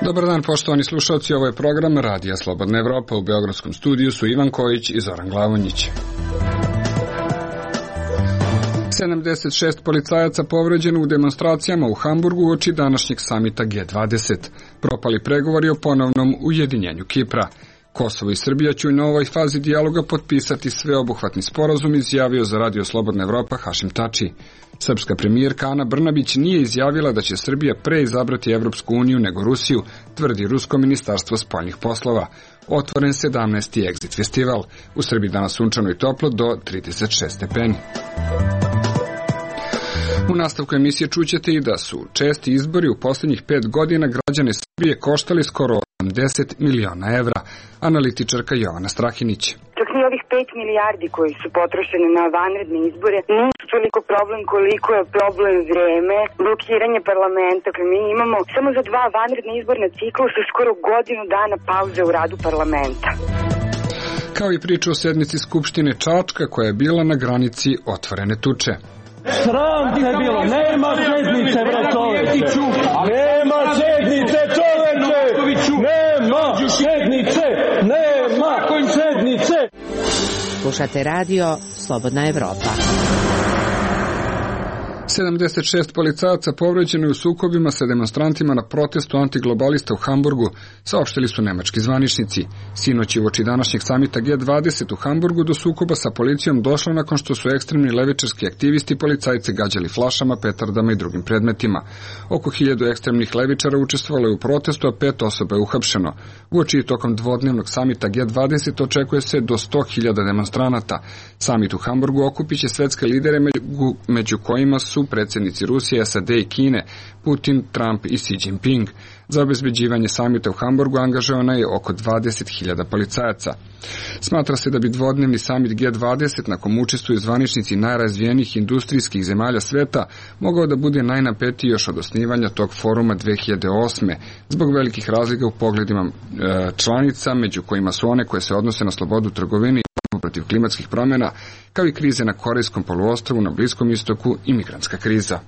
Dobar dan, poštovani slušalci, ovo je program Radija Slobodna Evropa. U beogradskom studiju su Ivan Kojić i Zoran Glavonjić. 76 policajaca povređeno u demonstracijama u Hamburgu uoči današnjeg samita G20. Propali pregovori o ponovnom ujedinjenju Kipra. Kosovo i Srbija će u novoj fazi dijaloga potpisati sveobuhvatni sporazum, izjavio za Radio Slobodna Evropa Hašim Tači. Srpska premijerka Ana Brnabić nije izjavila da će Srbija pre izabrati Evropsku uniju nego Rusiju, tvrdi Rusko ministarstvo spoljnih poslova. Otvoren 17. Exit festival. U Srbiji danas sunčano i toplo do 36 stepeni. U nastavku emisije čućete i da su česti izbori u posljednjih 5 godina građane Srbije koštali skoro 80 miliona evra. Analitičarka Jovana Strahinić. Čak ni ovih 5 milijardi koji su potrošeni na vanredne izbore nisu toliko problem koliko je problem vreme, blokiranje parlamenta. Mi imamo samo za 2 vanredne izborne ciklusa skoro godinu dana pauze u radu parlamenta. Kao i priča o sednici Skupštine Čačka koja je bila na granici otvorene tuče. Sram te bilo, nema sednice, bre čoveče, nema sednice, čoveče, nema sednice, nema sednice. Slušate radio Slobodna Evropa. 76 policajaca povređeno je u sukobima sa demonstrantima na protestu antiglobalista u Hamburgu, saopštili su nemački zvaničnici. Sinoć je uoči današnjeg samita G20 u Hamburgu do sukoba sa policijom došlo nakon što su ekstremni levičarski aktivisti policajce gađali flašama, petardama i drugim predmetima. Oko 1000 ekstremnih levičara učestvovalo je u protestu, a 5 osoba je uhapšeno. Uoči tokom dvodnevnog samita G20 očekuje se do 100.000 demonstranata. Samit u Hamburgu okupiće svetske lidere među kojima su predsjednici Rusije, SAD i Kine, Putin, Trump i Xi Jinping. Za obezbeđivanje samita u Hamburgu angažovano je oko 20.000 policajaca. Smatra se da bi dvodnevni samit G20, na kom učestvuju zvaničnici najrazvijenijih industrijskih zemalja sveta, mogao da bude najnapetiji još od osnivanja tog foruma 2008. zbog velikih razlika u pogledima članica, među kojima su one koje se odnose na slobodu trgovine i protiv klimatskih promjena, kao i krize na Korejskom poluostrvu, na Bliskom istoku i migrantska kriza.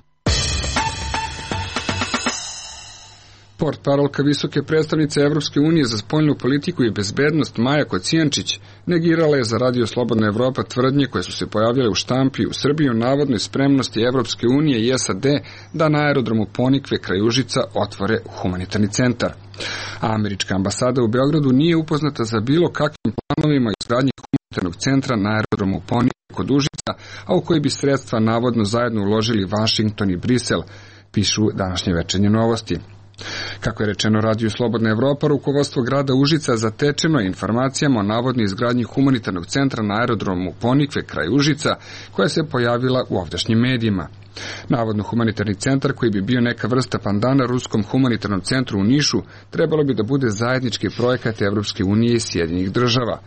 Portparolka visoke predstavnice Evropske unije za spoljnu politiku i bezbednost Maja Kocijančić negirala je za Radio Slobodna Evropa tvrdnje koje su se pojavile u štampi u Srbiji o navodnoj spremnosti Evropske unije i SAD da na aerodromu Ponikve kraj Užica otvore humanitarni centar. A američka ambasada u Beogradu nije upoznata za bilo kakvim planovima izgradnje humanitarnog centra na aerodromu Ponikve kod Užica, a u koji bi sredstva navodno zajedno uložili Vašington i Brisel, pišu današnje Večernje novosti. Kako je rečeno Radio Slobodna Evropa, rukovodstvo grada Užica zatečeno je informacijama o navodnoj izgradnji humanitarnog centra na aerodromu Ponikve kraj Užica, koja se pojavila u ovdašnjim medijima. Navodno humanitarni centar, koji bi bio neka vrsta pandana Ruskom humanitarnom centru u Nišu, trebalo bi da bude zajednički projekat Evropske unije i Sjedinjenih država.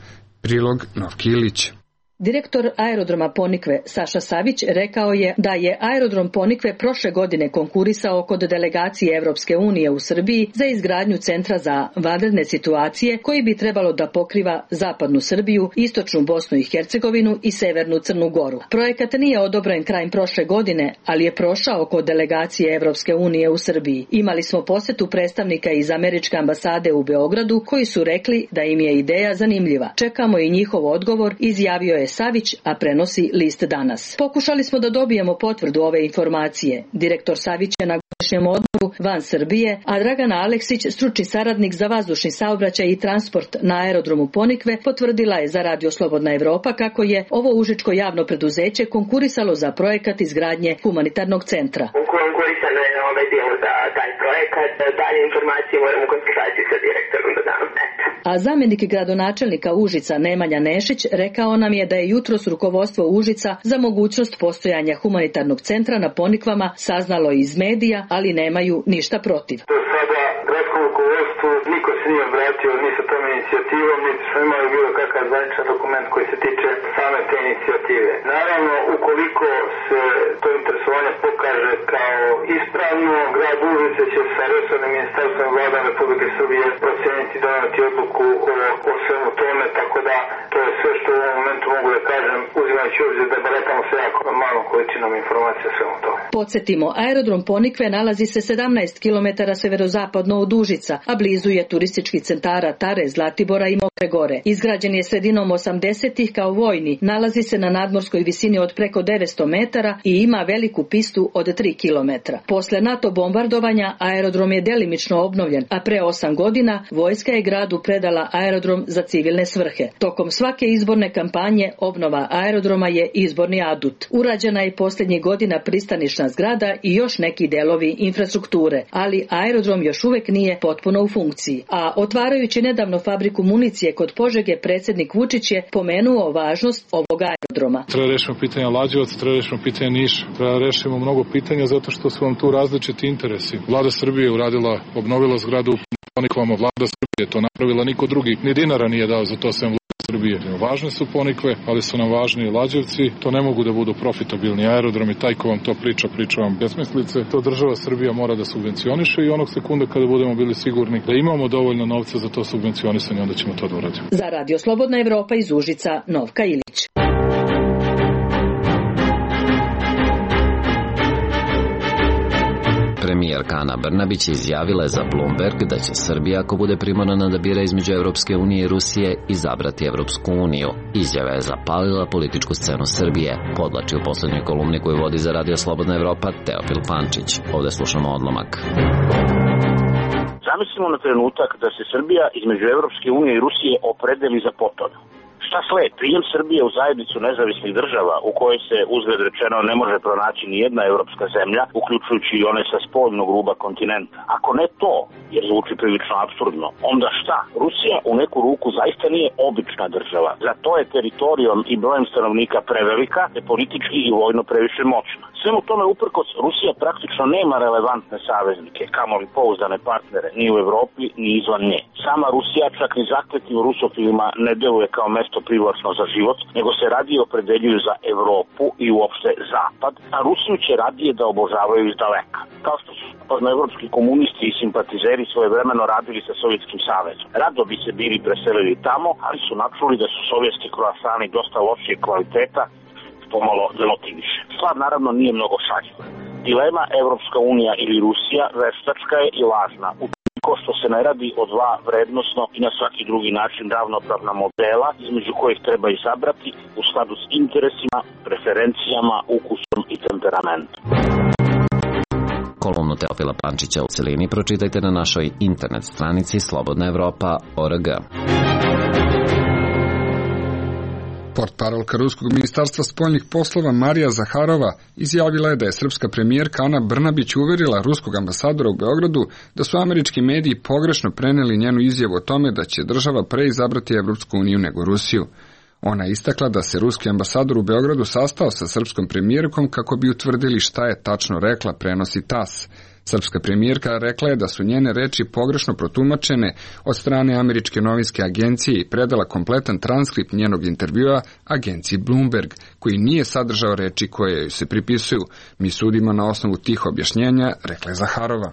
Prilog Novki Ilić. Direktor aerodroma Ponikve Saša Savić rekao je da je aerodrom Ponikve prošle godine konkurisao kod delegacije Evropske unije u Srbiji za izgradnju centra za vanredne situacije koji bi trebalo da pokriva zapadnu Srbiju, istočnu Bosnu i Hercegovinu i severnu Crnu Goru. Projekat nije odobren krajem prošle godine, ali je prošao kod delegacije Evropske unije u Srbiji. Imali smo posetu predstavnika iz američke ambasade u Beogradu koji su rekli da im je ideja zanimljiva. Čekamo i njihov odgovor, izjavio je Savić, a prenosi List danas. Pokušali smo da dobijemo potvrdu ove informacije. Direktor Savić je na godišnjem odmoru van Srbije, a Dragana Aleksić, stručni saradnik za vazdušni saobraćaj i transport na aerodromu Ponikve, potvrdila je za Radio Slobodna Evropa kako je ovo užičko javno preduzeće konkurisalo za projekat izgradnje humanitarnog centra. Konkurisano je bilo za taj projekat. Dalje informacije moramo konsultaciju sa direktorom da dam. A zamjenik gradonačelnika Užica Nemanja Nešić rekao nam je da je jutros rukovodstvo Užica za mogućnost postojanja humanitarnog centra na Ponikvama saznalo iz medija, ali nemaju ništa protiv. Sada gradskom rukovodstvu niko se nije obratio ni sa tom inicijativom, niti smo imali bilo kakav zvaničan dokument koji se tiče same te inicijative. Naravno, ukoliko se to interesovanje pokaže kao ispravno, grad Užice će sa resornim ministarstvom i vladom Republike Srbije proceniti i doneti odluku o svemu tome, tako da to je sve što u ovom momentu imajući u obzir da baratamo sa jako malom količinom informacija o svemu tome. Podsjetimo, aerodrom Ponikve nalazi se 17 km severozapadno od Užica, a blizu je turističkih centara Tare, Zlatibora i Mokre Gore. Izgrađen je sredinom 80-ih kao vojni, nalazi se na nadmorskoj visini od preko 900 metara i ima veliku pistu od 3 km. Posle NATO bombardovanja aerodrom je delimično obnovljen, a pre 8 godina vojska je gradu predala aerodrom za civilne svrhe. Tokom svake izborne kampanje obnova aerodroma je izborni adut. Urađena je posljednjih godina pristanišna zgrada i još neki delovi infrastrukture, ali aerodrom još uvek nije potpuno u funkciji. A otvarajući nedavno fabriku municije kod Požege, predsjednik Vučić je pomenuo važnost ovog aerodroma. Treba rešimo pitanja Lađevaca, treba rešimo pitanja Niša, treba rešimo mnogo pitanja zato što su vam tu različiti interesi. Vlada Srbije uradila, obnovila zgradu u Ponikvama, Vlada Srbije to napravila, niko drugi ni dinara nije dao za to sem Vlada Srbije. Važne su Ponikve, ali su nam važni i Lađevci. To ne mogu da budu profitabilni aerodromi, taj ko vam to priča vam besmislice. To država Srbija mora da subvencioniše i onog sekunda kada budemo bili sigurni da imamo dovoljno novca za to subvencionisanje, onda ćemo to da uradimo. Za Radio Slobodna Evropa iz Užica, Novka Ilić. Premijerka Ana Brnabić izjavila je za Bloomberg da će Srbija, ako bude primorana da bira između Evropske unije i Rusije, izabrati Evropsku uniju. Izjava je zapalila političku scenu Srbije, podlači u poslednjoj kolumni koju vodi za Radio Slobodna Evropa Teofil Pančić. Ovde slušamo odlomak. Zamislimo na trenutak da se Srbija između Evropske unije i Rusije opredeli za potom. Šta sled? Prijem Srbije u zajednicu nezavisnih država u kojoj se, uzgled rečeno, ne može pronaći ni jedna evropska zemlja, uključujući i one sa spoljnog ruba kontinenta. Ako ne to, jer zvuči prilično apsurdno, onda šta? Rusija u neku ruku zaista nije obična država. Za to je teritorijom i brojem stanovnika prevelika, te politički i vojno previše moćna. Svemu tome uprkos, Rusija praktično nema relevantne saveznike, kamoli pouzdane partnere, ni u Evropi, ni izvan nje. Sama Rusija čak ni zakletim rusofilima ne deluje kao mesto privlačno za život, nego se radije opredeljuju za Evropu i uopšte Zapad, a Rusiju će radije da obožavaju iz daleka. Kao što su zapadnoevropski komunisti i simpatizeri svojevremeno radili sa Sovjetskim savezom. Rado bi se bili preselili tamo, ali su načuli da su sovjetski kroasani dosta lošije kvaliteta, pomalo demotiviše. Stvar naravno nije mnogo šaljiva. Dilema Evropska unija ili Rusija veštačka je i lažna, utoliko što se ne radi o dva vrednosno i na svaki drugi način ravnopravna modela između kojih treba izabrati u skladu s interesima, preferencijama, ukusom i temperamentom. Kolumnu Teofila Pančića u celini pročitajte na našoj internet stranici slobodnaevropa.org. Portparolka ruskog ministarstva spoljnih poslova Marija Zaharova izjavila je da je srpska premijerka Ana Brnabić uverila ruskog ambasadora u Beogradu da su američki mediji pogrešno preneli njenu izjavu o tome da će država pre izabrati Evropsku uniju nego Rusiju. Ona je istakla da se ruski ambasador u Beogradu sastao sa srpskom premijerkom kako bi utvrdili šta je tačno rekla, prenosi TAS. Srpska premijerka rekla je da su njene reči pogrešno protumačene od strane američke novinske agencije i predala kompletan transkript njenog intervjua agenciji Bloomberg, koji nije sadržao reči koje joj se pripisuju. Mi sudimo na osnovu tih objašnjenja, rekla je Zaharova.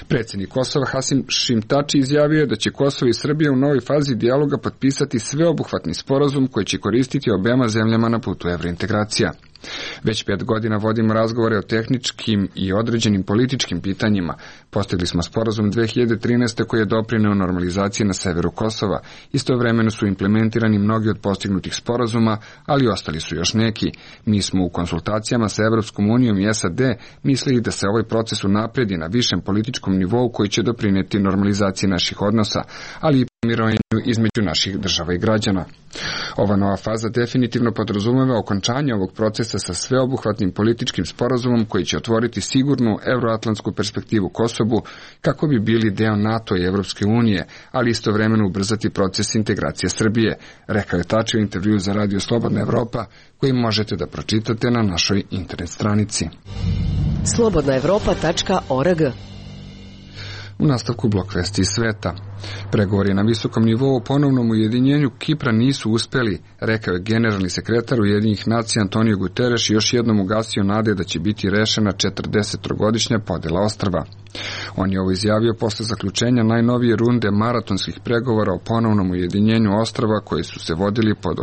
Predsjednik Kosova Hašim Tači izjavio je da će Kosovo i Srbija u novoj fazi dijaloga potpisati sveobuhvatni sporazum koji će koristiti obema zemljama na putu evrointegracija. Već 5 godina vodimo razgovore o tehničkim i određenim političkim pitanjima. Postigli smo sporazum 2013. koji je doprineo normalizaciji na severu Kosova. Istovremeno su implementirani mnogi od postignutih sporazuma, ali ostali su još neki. Mi smo u konsultacijama sa Evropskom unijom i SAD mislili da se ovaj proces unapredi na višem političkom nivou koji će doprineti normalizaciji naših odnosa, ali i pomirenju između naših država i građana. Ova nova faza definitivno podrazumeva okončanje ovog procesa sa sveobuhvatnim političkim sporazumom koji će otvoriti sigurnu euroatlantsku perspektivu Kosovu kako bi bili deo NATO i Evropske unije, ali istovremeno ubrzati proces integracije Srbije, rekao je Tači u intervju za Radio Slobodna Evropa koji možete da pročitate na našoj internet stranici. slobodnaevropa.org. U nastavku blok vesti iz sveta. Pregovori na visokom nivou o ponovnom ujedinjenju Kipra nisu uspeli, rekao je generalni sekretar Ujedinjenih nacija Antonio Guterres i još jednom ugasio nade da će biti rešena 40-godišnja podela ostrva. On je ovo izjavio posle zaključenja najnovije runde maratonskih pregovora o ponovnom ujedinjenju ostrva koji su se vodili pod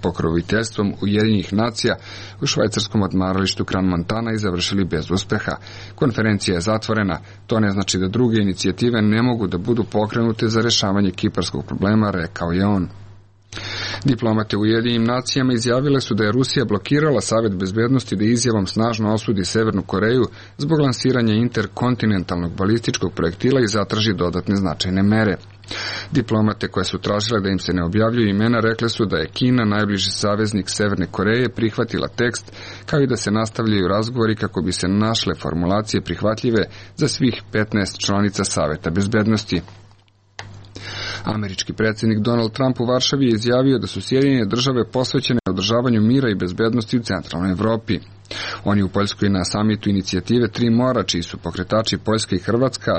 pokroviteljstvom Ujedinjenih nacija u švajcarskom odmaralištu Crans-Montana i završili bez uspeha. Konferencija je zatvorena, to ne znači da druge inicijative ne mogu da budu pokrenute za rešavanje kiparskog problema, rekao je on. Diplomate u Ujedinjenim nacijama izjavile su da je Rusija blokirala Savet bezbednosti da izjavom snažno osudi Severnu Koreju zbog lansiranja interkontinentalnog balističkog projektila i zatraži dodatne značajne mere. Diplomate koje su tražile da im se ne objavljuju imena rekle su da je Kina, najbliži saveznik Severne Koreje, prihvatila tekst, kao i da se nastavljaju razgovori kako bi se našle formulacije prihvatljive za svih 15 članica Saveta bezbednosti. Američki predsjednik Donald Trump u Varšavi je izjavio da su Sjedinjene države posvećene održavanju mira i bezbednosti u centralnoj Evropi. On je u Poljskoj na samitu inicijative Tri mora, čiji su pokretači Poljska i Hrvatska,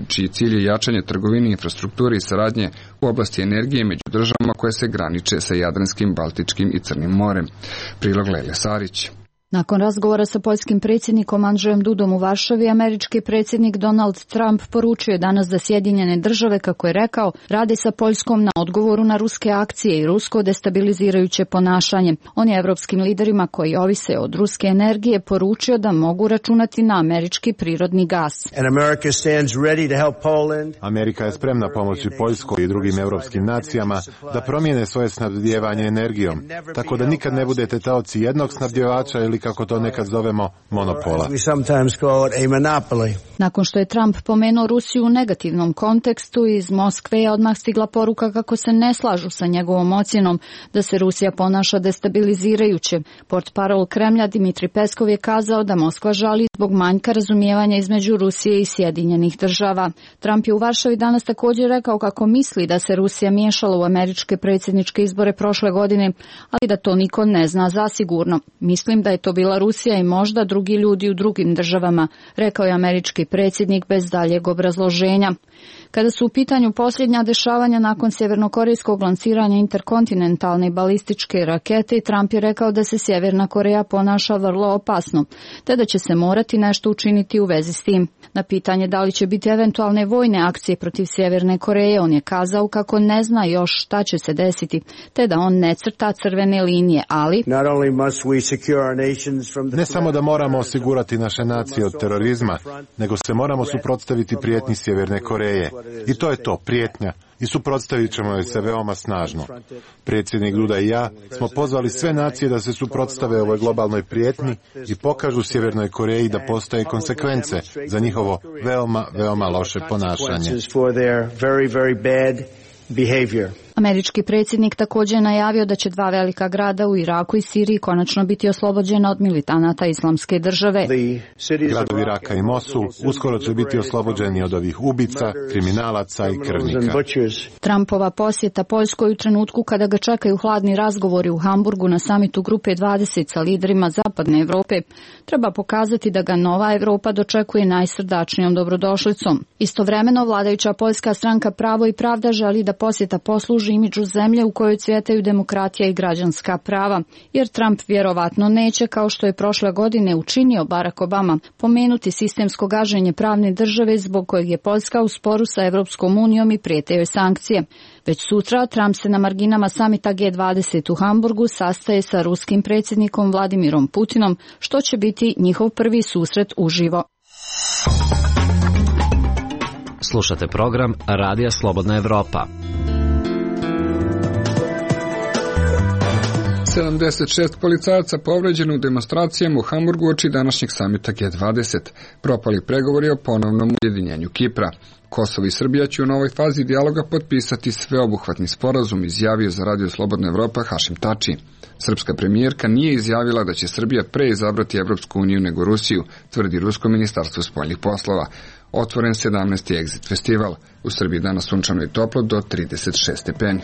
čiji cilj je jačanje trgovine, infrastrukture i saradnje u oblasti energije među državama koje se graniče sa Jadranskim, Baltičkim i Crnim morem. Prilog Lele Sarić. Nakon razgovora sa poljskim predsjednikom Andžejom Dudom u Varšavi, američki predsjednik Donald Trump poručio je danas da Sjedinjene države, kako je rekao, rade sa Poljskom na odgovoru na ruske akcije i rusko destabilizirajuće ponašanje. On je evropskim liderima koji ovise od ruske energije poručio da mogu računati na američki prirodni gas. Amerika je spremna pomoći Poljskoj i drugim evropskim nacijama da promijene svoje snabdijevanje energijom, tako da nikad ne budete taoci jednog snabdjevača ili kako to nekad zovemo, monopola. Nakon što je Trump pomenuo Rusiju u negativnom kontekstu, iz Moskve je odmah stigla poruka kako se ne slažu sa njegovom ocjenom da se Rusija ponaša destabilizirajuće. Portparol Kremlja Dmitri Peskov je kazao da Moskva žali zbog manjka razumijevanja između Rusije i Sjedinjenih država. Trump je u Varšavi danas također rekao kako misli da se Rusija miješala u američke predsjedničke izbore prošle godine, ali da to niko ne zna zasigurno. Mislim da je to bila Rusija i možda drugi ljudi u drugim državama, rekao je američki predsjednik bez daljeg obrazloženja. Kada su u pitanju posljednja dešavanja nakon sjevernokorejskog lansiranja interkontinentalne balističke rakete, Trump je rekao da se Sjeverna Koreja ponaša vrlo opasno, te da će se morati nešto učiniti u vezi s tim. Na pitanje da li će biti eventualne vojne akcije protiv Sjeverne Koreje, on je kazao kako ne zna još šta će se desiti, te da on ne crta crvene linije, ali ne samo da moramo osigurati naše nacije od terorizma, nego se moramo suprotstaviti prijetnji Sjeverne Koreje. I to je to, prijetnja. I suprotstavit ćemo joj se veoma snažno. Predsjednik Duda i ja smo pozvali sve nacije da se suprotstave ovoj globalnoj prijetnji i pokažu Sjevernoj Koreji da postoje konsekvence za njihovo veoma loše ponašanje. Američki predsjednik također je najavio da će 2 velika grada u Iraku i Siriji konačno biti oslobođena od militanata Islamske države. Gradovi Iraka i Mosul uskoro će biti oslobođeni od ovih ubica, kriminalaca i krvnika. Trumpova posjeta Poljskoj u trenutku kada ga čekaju hladni razgovori u Hamburgu na samitu Grupe 20 sa liderima Zapadne Evrope treba pokazati da ga nova Evropa dočekuje najsrdačnijom dobrodošlicom. Istovremeno vladajuća poljska stranka Pravo i pravda želi da posjeta posluži imidžu zemlje u kojoj cvjetaju demokratija i građanska prava, jer Trump vjerovatno neće, kao što je prošle godine učinio Barack Obama, pomenuti sistemsko gaženje pravne države zbog kojeg je Poljska u sporu sa Evropskom unijom i prijete joj sankcije. Već sutra Trump se na marginama samita G20 u Hamburgu sastaje sa ruskim predsjednikom Vladimirom Putinom, što će biti njihov prvi susret uživo. Slušate program Radija Slobodna Evropa. 76 policajaca povređeno u demonstracijama u Hamburgu uoči današnjeg samita G20. Propali pregovori o ponovnom ujedinjenju Kipra. Kosovo i Srbija će u novoj fazi dijaloga potpisati sveobuhvatni sporazum, izjavio za Radio Slobodna Evropa Hašim Tači. Srpska premijerka nije izjavila da će Srbija pre izabrati Evropsku uniju nego Rusiju, tvrdi Rusko ministarstvo spoljnih poslova. Otvoren 17. Exit festival. U Srbiji danas sunčano i toplo do 36 stepeni.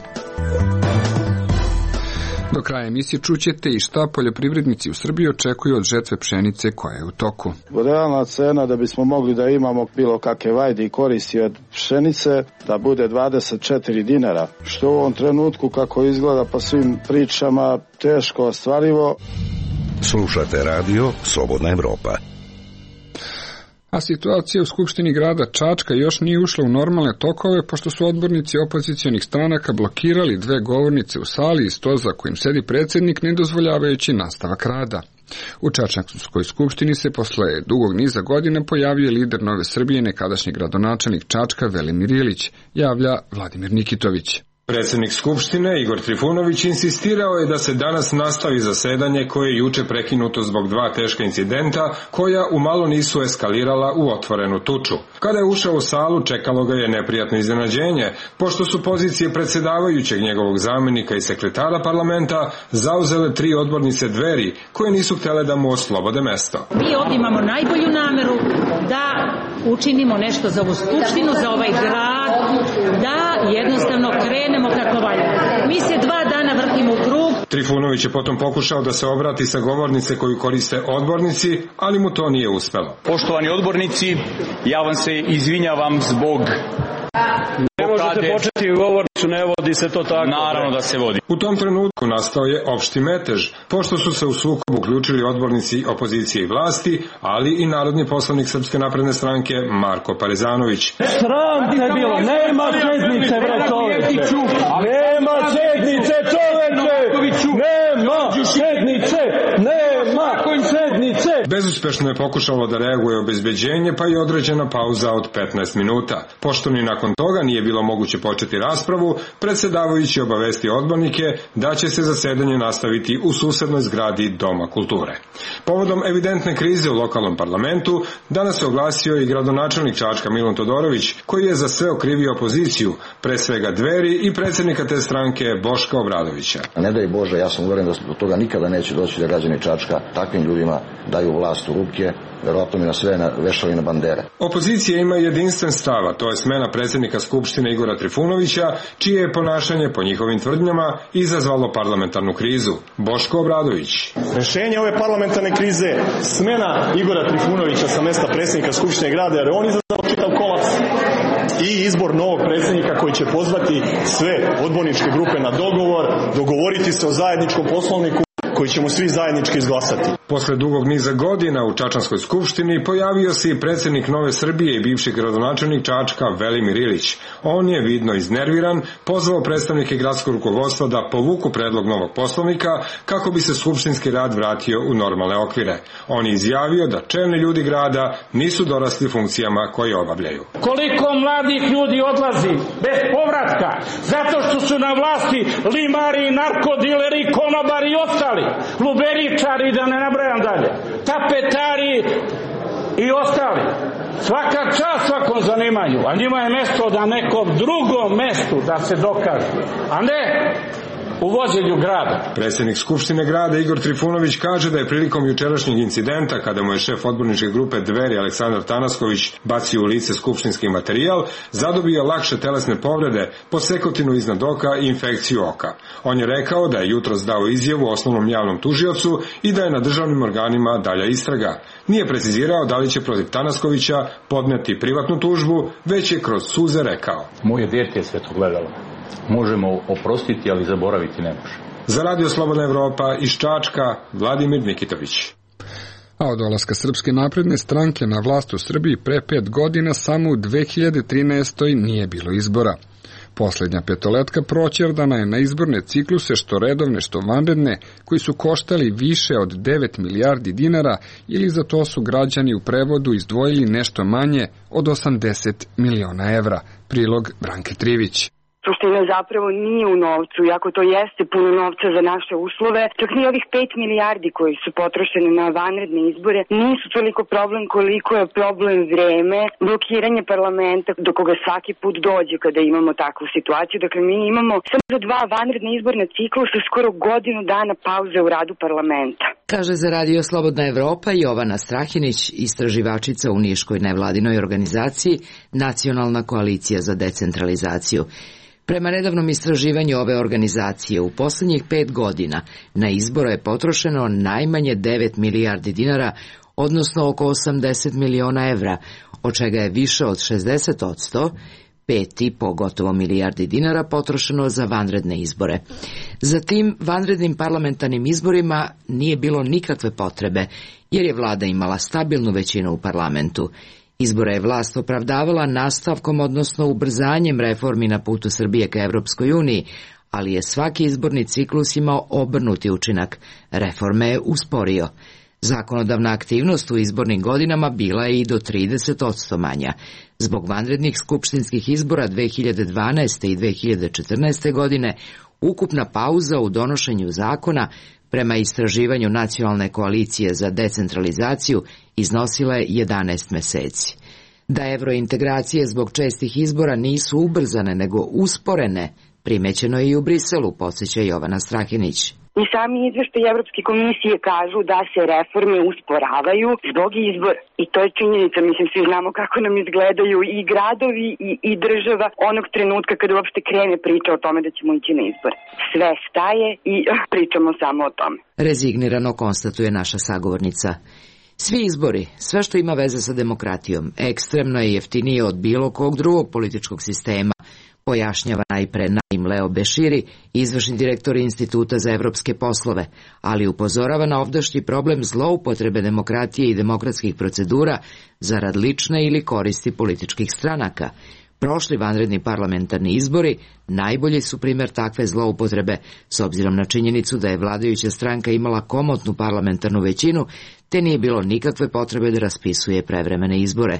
Do kraja emisije čućete i šta poljoprivrednici u Srbiji očekuju od žetve pšenice koja je u toku. Realna cena da bismo mogli da imamo bilo kakve vajde i koristi od pšenice da bude 24 dinara, što u ovom trenutku kako izgleda po svim pričama teško ostvarivo. Slušate radio Slobodna Evropa. A situacija u Skupštini grada Čačka još nije ušla u normalne tokove, pošto su odbornici opozicionih stranaka blokirali dve govornice u sali i sto za kojim sedi predsjednik, ne dozvoljavajući nastavak rada. U Čačanskoj skupštini se posle dugog niza godina pojavio lider Nove Srbije, nekadašnji gradonačelnik Čačka Velimir Ilić, javlja Vladimir Nikitović. Predsjednik Skupštine Igor Trifunović insistirao je da se danas nastavi zasedanje koje je juče prekinuto zbog dva teška incidenta koja umalo nisu eskalirala u otvorenu tuču. Kada je ušao u salu, čekalo ga je neprijatno iznenađenje, pošto su pozicije predsjedavajućeg, njegovog zamenika i sekretara parlamenta zauzele tri odbornice Dveri koje nisu htjele da mu oslobode mesto. Mi ovdje imamo najbolju nameru da učinimo nešto za ovu skupštinu, za ovaj grad, da jednostavno krenemo kako valja. Mi se 2 dana vrtimo u krug. Trifunović je potom pokušao da se obrati sa govornice koju koriste odbornici, ali mu to nije uspelo. Poštovani odbornici, ja vam se izvinjavam zbog... Ne možete početi govornicu, ne vodi se to tako. Naravno da se vodi. U tom trenutku nastao je opšti metež, pošto su se u sukob uključili odbornici opozicije i vlasti, ali i narodni poslanik Srpske napredne stranke Marko Parezanović. Sram te bilo, nema sednice, bre čoveče! Nema sednice, čoveče! Nema sednice! Nema sednice! Bezuspešno je pokušalo da reaguje obezbeđenje, pa i određena pauza od 15 minuta. Pošto ni nakon toga nije bilo moguće početi raspravu, predsjedavajući obavesti odbornike da će se zasedanje nastaviti u susednoj zgradi Doma kulture. Povodom evidentne krize u lokalnom parlamentu, danas se oglasio i gradonačelnik Čačka Milun Todorović, koji je za sve okrivio opoziciju, pre svega Dveri i predsjednika te stranke Boška Obradovića. Ne daj Bože, ja sam uveren da do toga nikada neće doći da građani Čačka takvim ljudima daju vlast u ruke, verovatno mi na sve vešali na bandere. Opozicija ima jedinstven stav, a to je smena predsjednika Skupštine Igora Trifunovića, čije je ponašanje po njihovim tvrdnjama izazvalo parlamentarnu krizu. Boško Obradović. Rešenje ove parlamentarne krize, smena Igora Trifunovića sa mesta predsjednika Skupštine grada, jer on izazvao čitav kolaps, i izbor novog predsjednika koji će pozvati sve odborničke grupe na dogovor, dogovoriti se o zajedničkom poslovniku koji ćemo svi zajednički izglasati. Posle dugog niza godina u Čačanskoj skupštini pojavio se i predsjednik Nove Srbije i bivši gradonačelnik Čačka Velimir Ilić. On je vidno iznerviran, pozvao predstavnike gradskog rukovodstva da povuku predlog novog poslovnika kako bi se skupštinski rad vratio u normalne okvire. On je izjavio da čelni ljudi grada nisu dorasli funkcijama koje obavljaju. Koliko mladih ljudi odlazi bez povratka zato što su na vlasti limari, narkodileri, konobari i ostali, luberičari, da ne nabrajam dalje, tapetari i ostali. Svaka čast svakom zanimanju, a njima je mesto da nekom drugom mestu da se dokaže, a ne u vođenju grada. Predsjednik Skupštine grada Igor Trifunović kaže da je prilikom jučerašnjeg incidenta, kada mu je šef odborničke grupe Dveri Aleksandar Tanasković bacio u lice skupštinski materijal, zadobio lakše telesne povrede, posekotinu iznad oka i infekciju oka. On je rekao da je jutros dao izjavu osnovnom javnom tužiocu i da je na državnim organima dalja istraga. Nije precizirao da li će protiv Tanaskovića podneti privatnu tužbu, već je kroz suze rekao: Moje dijete je sve to gledalo. Možemo oprostiti, ali zaboraviti ne može. Za Radio Slobodna Evropa iz Čačka, Vladimir Nikitović. A od dolaska Srpske napredne stranke na vlast u Srbiji pre 5 godina samo u 2013. nije bilo izbora. Posljednja petoletka proćerdana je na izborne cikluse što redovne što vanredne, koji su koštali više od 9 milijardi dinara ili za to su građani u prevodu izdvojili nešto manje od 80 miliona evra. Prilog Branke Trivić. Suština zapravo nije u novcu, iako to jeste puno novca za naše uslove, čak ni ovih 5 milijardi koji su potrošeni na vanredne izbore nisu toliko problem koliko je problem vreme, blokiranje parlamenta do koga svaki put dođe kada imamo takvu situaciju. Dakle, mi imamo samo za 2 vanredne izborne ciklusa skoro godinu dana pauze u radu parlamenta. Kaže za Radio Slobodna Evropa Jovana Strahinić, istraživačica u niškoj nevladinoj organizaciji Nacionalna koalicija za decentralizaciju. Prema nedavnom istraživanju ove organizacije, u poslednjih 5 godina na izbore je potrošeno najmanje 9 milijardi dinara, odnosno oko 80 miliona evra, od čega je više od 60%, 5,5 gotovo milijardi dinara potrošeno za vanredne izbore. Za tim vanrednim parlamentarnim izborima nije bilo nikakve potrebe, jer je vlada imala stabilnu većinu u parlamentu. Izbore je vlast opravdavala nastavkom, odnosno ubrzanjem reformi na putu Srbije ka Evropskoj uniji, ali je svaki izborni ciklus imao obrnuti učinak. Reforme je usporio. Zakonodavna aktivnost u izbornim godinama bila je i do 30% manja. Zbog vanrednih skupštinskih izbora 2012. i 2014. godine, ukupna pauza u donošenju zakona prema istraživanju Nacionalne koalicije za decentralizaciju iznosila je 11 meseci. Da evrointegracije zbog čestih izbora nisu ubrzane nego usporene, primećeno je i u Briselu, podsjeća Jovana Strahinić. I sami izveštaji Evropske komisije kažu da se reforme usporavaju zbog izbora. I to je činjenica, mislim, svi znamo kako nam izgledaju i gradovi i država onog trenutka kada uopšte krene priča o tome da ćemo ići na izbore. Sve staje i pričamo samo o tome. Rezignirano konstatuje naša sagovornica. Svi izbori, sve što ima veze sa demokratijom, ekstremno je jeftinije od bilo kog drugog političkog sistema, pojašnjava najpre Naim Leo Beširi, izvršni direktor Instituta za evropske poslove, ali upozorava na ovdašnji problem zloupotrebe demokratije i demokratskih procedura zarad lične ili koristi političkih stranaka. Prošli vanredni parlamentarni izbori najbolji su primer takve zloupotrebe, s obzirom na činjenicu da je vladajuća stranka imala komotnu parlamentarnu većinu, te nije bilo nikakve potrebe da raspisuje prevremene izbore.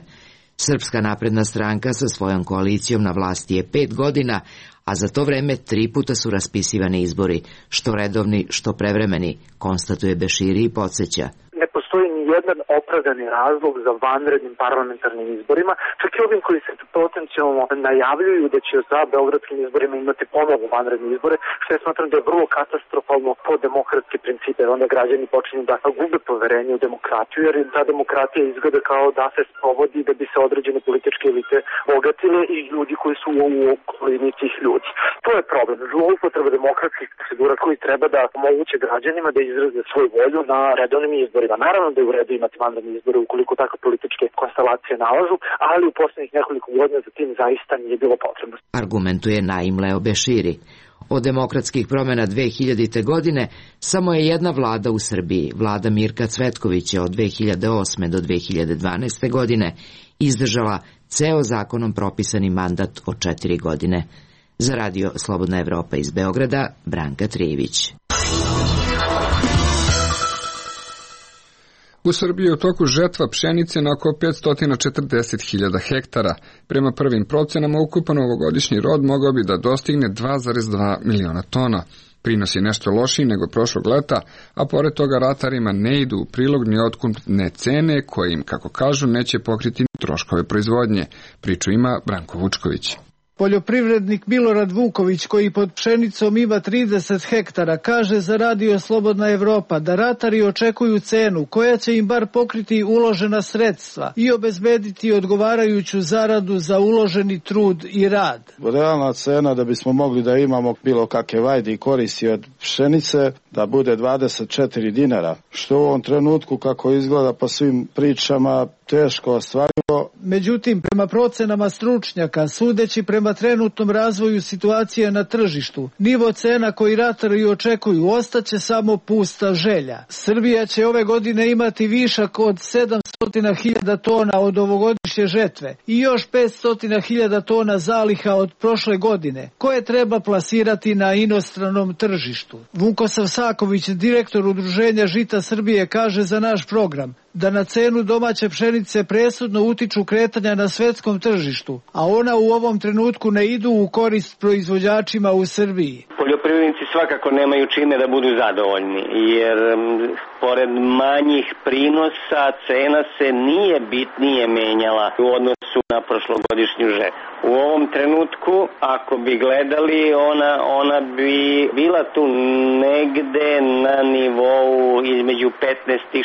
Srpska napredna stranka sa svojom koalicijom na vlasti je 5 godina, a za to vreme 3 puta su raspisivani izbori, što redovni, što prevremeni, konstatuje Beširi i podsjeća. Ne postoji ni jedan opravdani razlog za vanrednim parlamentarnim izborima, čak i ovim koji se potencijalno najavljuju da će za beogradskim izborima imati ponovo vanredne izbore, što ja smatram da je vrlo katastrofalno po demokratske principe, jer onda građani počinju da gube poverenje u demokratiju, jer ta demokratija izgleda kao da se sprovodi da bi se određene političke elite bogatile i ljudi koji su u okolini tih ljudi. To je problem, zloupotreba demokratskih procedura koji treba da omoguće građanima da izraze svoju volju na redovnim izborima. Naravno da je u redu imati vanredne izbore ukoliko takve političke konstelacije nalažu, ali u poslednjih nekoliko godina za tim zaista nije bilo potrebno. Argumentuje Naim Leo Beširi. Od demokratskih promjena 2000. godine samo je jedna vlada u Srbiji, vlada Mirka Cvetkovića od 2008. do 2012. godine, izdržala ceo zakonom propisani mandat od 4 godine. Za radio Slobodna Evropa iz Beograda, Branka Trijević. U Srbiji je u toku žetva pšenice na oko 540.000 hektara. Prema prvim procenama, ukupan ovogodišnji rod mogao bi da dostigne 2,2 miliona tona. Prinos je nešto lošiji nego prošlog leta, a pored toga ratarima ne idu u prilog ni otkupne cene koje im, kako kažu, neće pokriti troškove proizvodnje. Priču ima Branko Vučković. Poljoprivrednik Milorad Vuković, koji pod pšenicom ima 30 hektara, kaže za radio Slobodna Evropa da ratari očekuju cenu koja će im bar pokriti uložena sredstva i obezbediti odgovarajuću zaradu za uloženi trud i rad. Realna cena da bismo mogli da imamo bilo kakve vajde i koristi od pšenice da bude 24 dinara, što u ovom trenutku kako izgleda po svim pričama teško ostvarivo. Međutim, prema procenama stručnjaka, sudeći prema trenutnom razvoju situacije na tržištu, nivo cena koji ratari očekuju ostaće samo pusta želja. Srbija će ove godine imati višak od 700.000 tona od ovogodišnje žetve i još 500.000 tona zaliha od prošle godine, koje treba plasirati na inostranom tržištu. Vukosav Saković, direktor Udruženja Žita Srbije, kaže za naš program da na cenu domaće pšenice presudno utiču kretanja na svetskom tržištu, a ona u ovom trenutku ne idu u korist proizvođačima u Srbiji. Poljoprivrednici svakako nemaju čime da budu zadovoljni, jer pored manjih prinosa cena se nije bitnije menjala u odnosu na prošlogodišnju žetvu. U ovom trenutku, ako bi gledali, ona bi bila tu negde na nivou između 15 i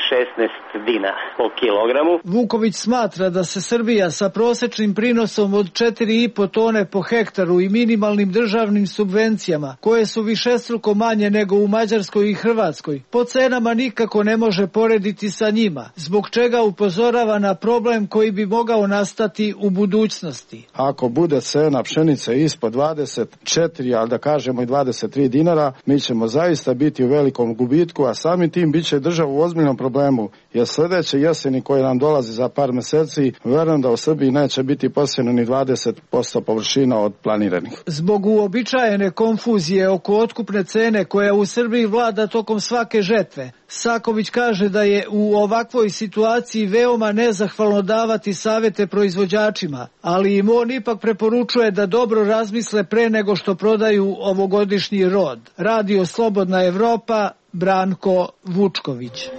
16 dinara po kilogramu. Vuković smatra da se Srbija sa prosečnim prinosom od 4,5 tone po hektaru i minimalnim državnim subvencijama, koje su višestruko manje nego u Mađarskoj i Hrvatskoj, po cenama nikako ne može porediti sa njima, zbog čega upozorava na problem koji bi mogao nastati u budućnosti. Ako bude cena pšenice ispod 24, ali da kažemo i 23 dinara, mi ćemo zaista biti u velikom gubitku, a samim tim bit će država u ozbiljnom problemu, jer sljedeće jeseni koje nam dolazi za par meseci, verujem da u Srbiji neće biti posijeno ni 20% površina od planiranih. Zbog uobičajene konfuzije oko otkupne cene koja u Srbiji vlada tokom svake žetve, Saković kaže da je u ovakvoj situaciji veoma nezahvalno davati savete proizvođačima, ali im on ipak preporučuje da dobro razmisle pre nego što prodaju ovogodišnji rod. Radio Slobodna Evropa, Branko Vučković.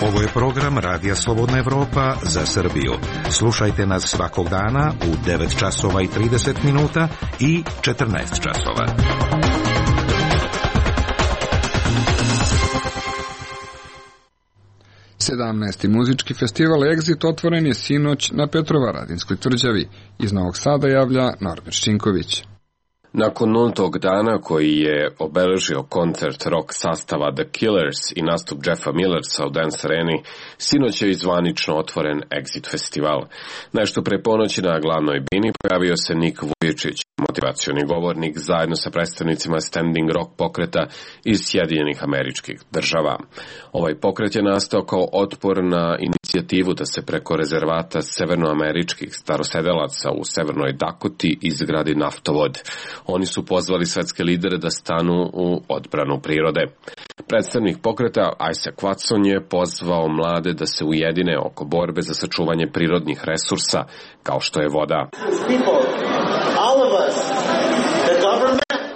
Ovo je program Radija Slobodna Evropa za Srbiju. Slušajte nas svakog dana u 9 časova i 30 minuta i 14 časova. Sedamnaesti muzički festival Exit otvoren je sinoć na Petrovaradinskoj tvrđavi. Iz Novog Sada javlja Norbert Šinković. Nakon nultog dana koji je obeležio koncert rock sastava The Killers i nastup Jeffa Millersa u Dance Areni, sinoć je zvanično otvoren Exit festival. Nešto pre ponoći na glavnoj bini pojavio se Nik Vujičić, motivacioni govornik zajedno sa predstavnicima standing rock pokreta iz Sjedinjenih Američkih Država. Ovaj pokret je nastao kao otpor na inicijativu da se preko rezervata severnoameričkih starosedelaca u Severnoj Dakoti izgradi naftovod. Oni su pozvali svetske lidere da stanu u odbranu prirode. Predstavnik pokreta Isaac Watson je pozvao mlade da se ujedine oko borbe za sačuvanje prirodnih resursa, kao što je voda.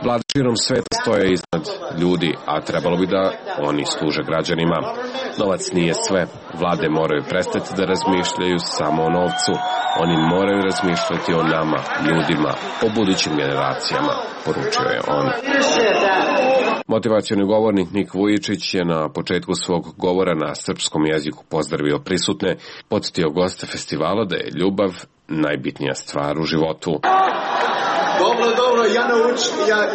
Vlade širom sveta stoje iznad ljudi, a trebalo bi da oni služe građanima. Novac nije sve. Vlade moraju prestati da razmišljaju samo o novcu. Oni moraju razmišljati o nama, ljudima, o budućim generacijama, poručio je on. Motivacioni govornik Nik Vujičić je na početku svog govora na srpskom jeziku pozdravio prisutne, podsjetio goste festivala da je ljubav najbitnija stvar u životu. Dobro,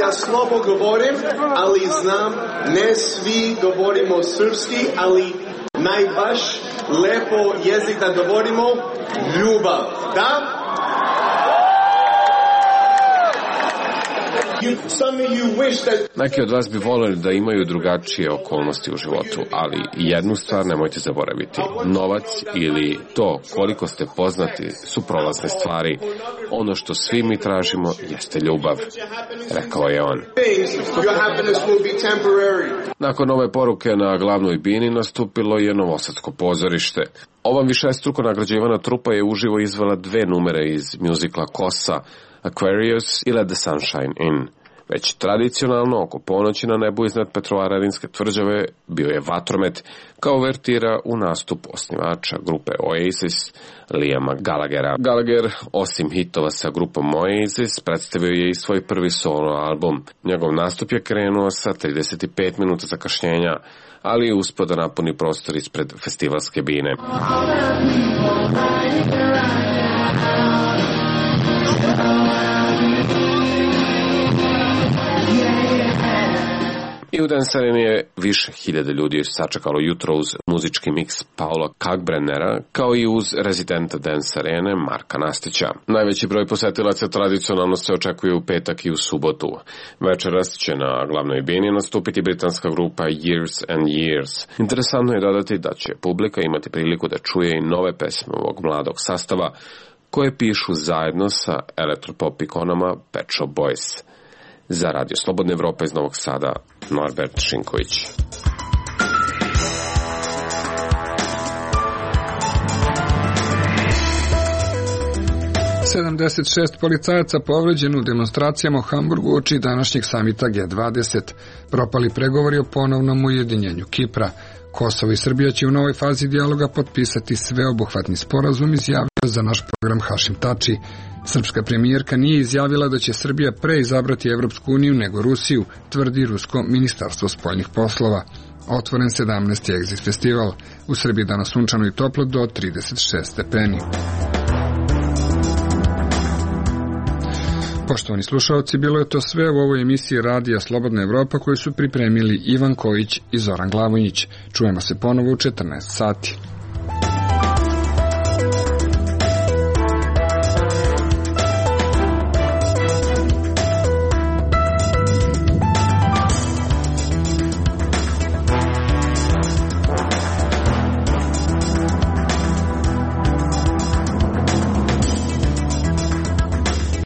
ja slabo govorim, ali znam, ne svi govorimo srpski, ali najbaš lepo jezik da govorimo ljubav, da? Neki od vas bi voljeli da imaju drugačije okolnosti u životu, ali jednu stvar nemojte zaboraviti. Novac ili to koliko ste poznati su prolazne stvari. Ono što svi mi tražimo jeste ljubav, rekao je on. Nakon ove poruke na glavnoj bini nastupilo je Novosadsko pozorište. Ova višestruko nagrađivana trupa je uživo izvela 2 numere iz mjuzikla Kosa, Aquarius i Let the Sunshine In. Već tradicionalno oko ponoći na nebu iznad Petrovaradinske tvrđave bio je vatromet kao uvertira u nastup osnivača grupe Oasis, Liama Gallaghera. Gallagher, osim hitova sa grupom Oasis, predstavio je i svoj prvi solo album. Njegov nastup je krenuo sa 35 minuta zakašnjenja, ali je uspio da napuni prostor ispred festivalske bine. I u Dance Areni je više hiljada ljudi sačekalo jutro uz muzički miks Paula Kalkbrennera, kao i uz rezidenta Dance Arene Marka Nastića. Najveći broj posetilaca tradicionalno se očekuje u petak i u subotu. Večeras će na glavnoj bini nastupiti britanska grupa Years and Years. Interesantno je dodati da će publika imati priliku da čuje i nove pesme ovog mladog sastava, koje pišu zajedno sa elektropop ikonama Pet Shop Boys. Za Radio Slobodna Evropa iz Novog Sada, Norbert Šinković. ...76 policajaca povređeno u demonstracijama u Hamburgu uoči današnjeg samita G20. Propali pregovori o ponovnom ujedinjenju Kipra. Kosovo i Srbija će u novoj fazi dijaloga potpisati sveobuhvatni sporazum, izjavio za naš program Hašim Tači. Srpska premijerka nije izjavila da će Srbija pre izabrati Evropsku uniju nego Rusiju, tvrdi Rusko ministarstvo spoljnih poslova. Otvoren 17. Exit festival. U Srbiji danas sunčano i toplo do 36 stepeni. Poštovani slušalci, bilo je to sve u ovoj emisiji Radija Slobodna Evropa koju su pripremili Ivan Kojić i Zoran Glavonjić. Čujemo se ponovo u 14 sati.